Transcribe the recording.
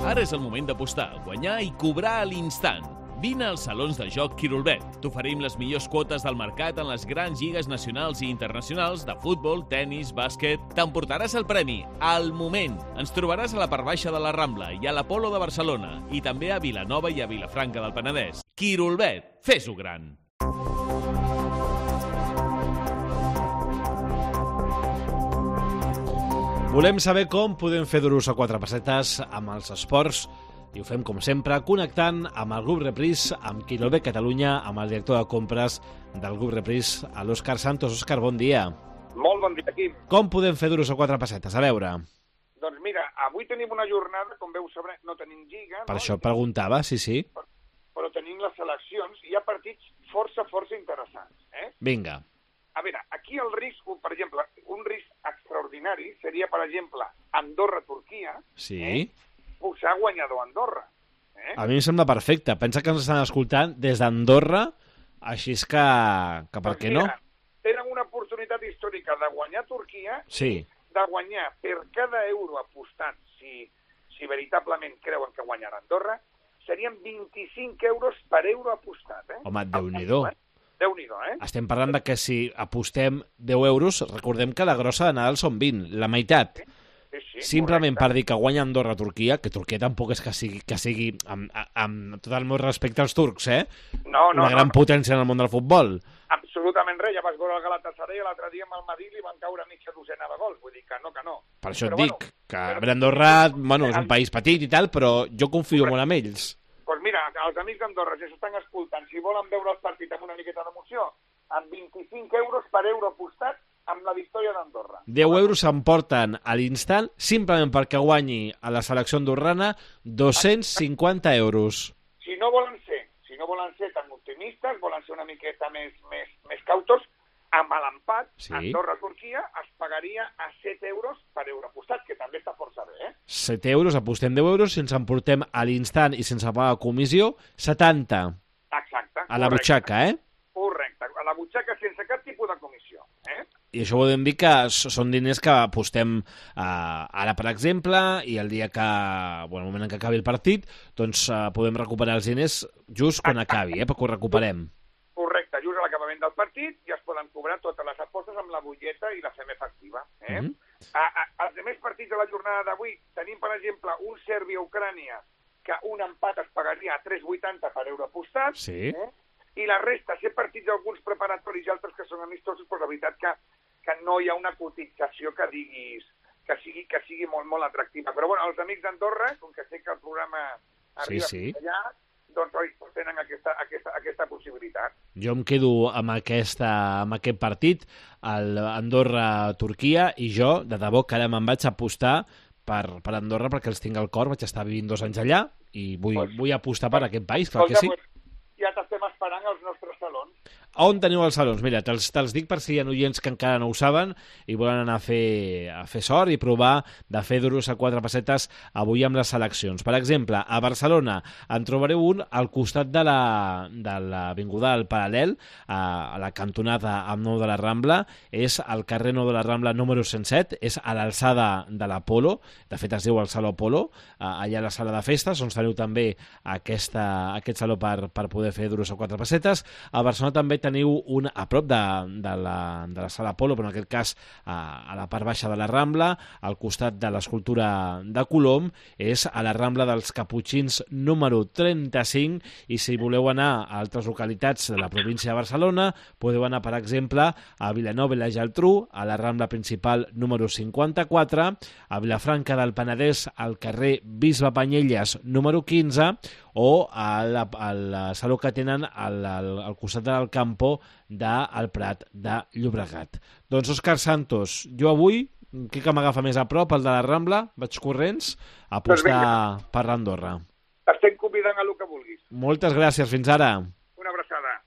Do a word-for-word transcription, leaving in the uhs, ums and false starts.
Ara és el moment d'apostar, guanyar i cobrar a l'instant. Vine als salons de joc Quirolbet. T'oferim les millors quotes del mercat en les grans lligues nacionals i internacionals de futbol, tennis, bàsquet. T'emportaràs el premi al moment. Ens trobaràs a la part baixa de la Rambla i a l'Apolo de Barcelona i també a Vilanova i a Vilafranca del Penedès. Quirolbet, fes-ho gran. Volem saber com podem fer duros a quatre pessetes amb els esports i ho fem, com sempre, connectant amb el grup Repris, amb Quirolbet Catalunya, amb el director de compres del grup Repris, l'Òscar Santos. Òscar, bon dia. Molt bon dia, Quim. Com podem fer duros a quatre pessetes? A veure. Doncs mira, avui tenim una jornada, com veu saber, no tenim lliga. Per no? això preguntava, sí, sí. Però, però tenim les seleccions i hi ha partits força, força interessants. Eh? Vinga. A veure, aquí el risc, per exemple, un risc extraordinari seria, per exemple, Andorra-Turquia. Sí. Eh? Posar guanyador Andorra. Eh? A mi em sembla perfecte. Pensa que ens estan escoltant des d'Andorra, així és que, que per doncs què mira, no? Tenen una oportunitat històrica de guanyar Turquia, Sí. de guanyar per cada euro apostat, si, si veritablement creuen que guanyarà Andorra, serien vint-i-cinc euros per euro apostat. Eh? Home, Déu-n'hi-do. Déu-n'hi-do, eh? Estem parlant de que si apostem deu euros, recordem que la grossa de Nadal són vint, la meitat. Sí, sí, Simplement correcte. per dir que guanya Andorra a Turquia, que Turquia tampoc és que sigui, que sigui amb, amb tot el meu respecte als turcs, eh? No, no, Una gran no, no. potència en el món del futbol. Absolutament res, ja vas veure el Galatasaray l'altre dia amb el Madrid i van caure mitja dotzena de gols, vull dir que no, que no. Per això Però et dic, bueno, que però- però... Andorra, bueno, és un país petit i tal, però jo confio molt en ells. Doncs pues mira, els amics d'Andorra, si s'estan escoltant, si volen veure el partit amb una miqueta d'emoció, amb vint-i-cinc euros per euro apostat amb la victòria d'Andorra. deu euros s'emporten a l'instant, simplement perquè guanyi a la selecció andorrana dos-cents cinquanta euros. Si no volen ser, si no volen ser tan optimistes, volen ser una miqueta més, més, més cautos, amb l'empat, Sí. Andorra-Turquia es pagaria a set euros per euro apostat, que també està força bé, eh? set euros, apostem deu euros, si ens emportem a l'instant i sense pagar comissió, setanta Exacte. a la correcte. butxaca, eh? Correcte, a la butxaca sense cap tipus de comissió. Eh? I això volem dir que s- són diners que apostem eh, ara, per exemple, i el dia que, bueno, el moment en què acabi el partit, doncs eh, podem recuperar els diners just quan acabi, eh, perquè ho recuperem. Correcte, just a l'acabament del partit ja es poden cobrar totes les apostes amb la butlleta i la fem efectiva. Eh? Mhm. a, a, els altres partits de la jornada d'avui tenim, per exemple, un Sèrbia-Ucrània que un empat es pagaria a tres vuitanta per euro apostat, Sí. eh? I la resta, ser partits alguns preparatoris i altres que són amistosos, però la veritat que, que no hi ha una cotització que diguis que sigui, que sigui molt, molt atractiva. Però bueno, els amics d'Andorra, com que sé que el programa arriba Sí, sí. fins allà, doncs oi, tenen aquesta, aquesta, aquesta possibilitat. Jo em quedo amb, aquesta, amb aquest partit, el Andorra-Turquia, i jo, de debò, que ara me'n vaig apostar per, per Andorra perquè els tinc al cor, vaig estar vivint dos anys allà i vull, Pues- vull apostar per aquest país, clar que sí. Escolta, ja t'estem esperant als nostres salons. On teniu els salons? Mira, te'ls te dic per si hi ha oients que encara no ho saben i volen anar a fer, a fer sort i provar de fer duros a quatre pessetes avui amb les seleccions. Per exemple, a Barcelona en trobareu un al costat de la de l'Avinguda del Paral·lel, a, a la cantonada amb nou de la Rambla. És al carrer nou de la Rambla número cent set, és a l'alçada de l'Apolo, de fet es diu el Saló Apolo, allà a la sala de festes, on teniu també aquesta, aquest saló per, per poder fer duros a quatre pessetes. A Barcelona també teniu un a prop de, de, la, de la sala Apolo, però en aquest cas a, a la part baixa de la Rambla, al costat de l'escultura de Colom, és a la Rambla dels Caputxins número trenta-cinc, i si voleu anar a altres localitats de la província de Barcelona, podeu anar, per exemple, a Vilanova i la Geltrú, a la Rambla principal número cinquanta-quatre, a Vilafranca del Penedès, al carrer Bisbe Panyelles número quinze, o al, al saló que tenen al, al, al costat del Campo del Prat de Llobregat. Doncs Òscar Santos, jo avui, què que m'agafa més a prop, el de la Rambla, vaig corrents a apostar per l'Andorra. T'estem convidant a el que vulguis. Moltes gràcies, fins ara.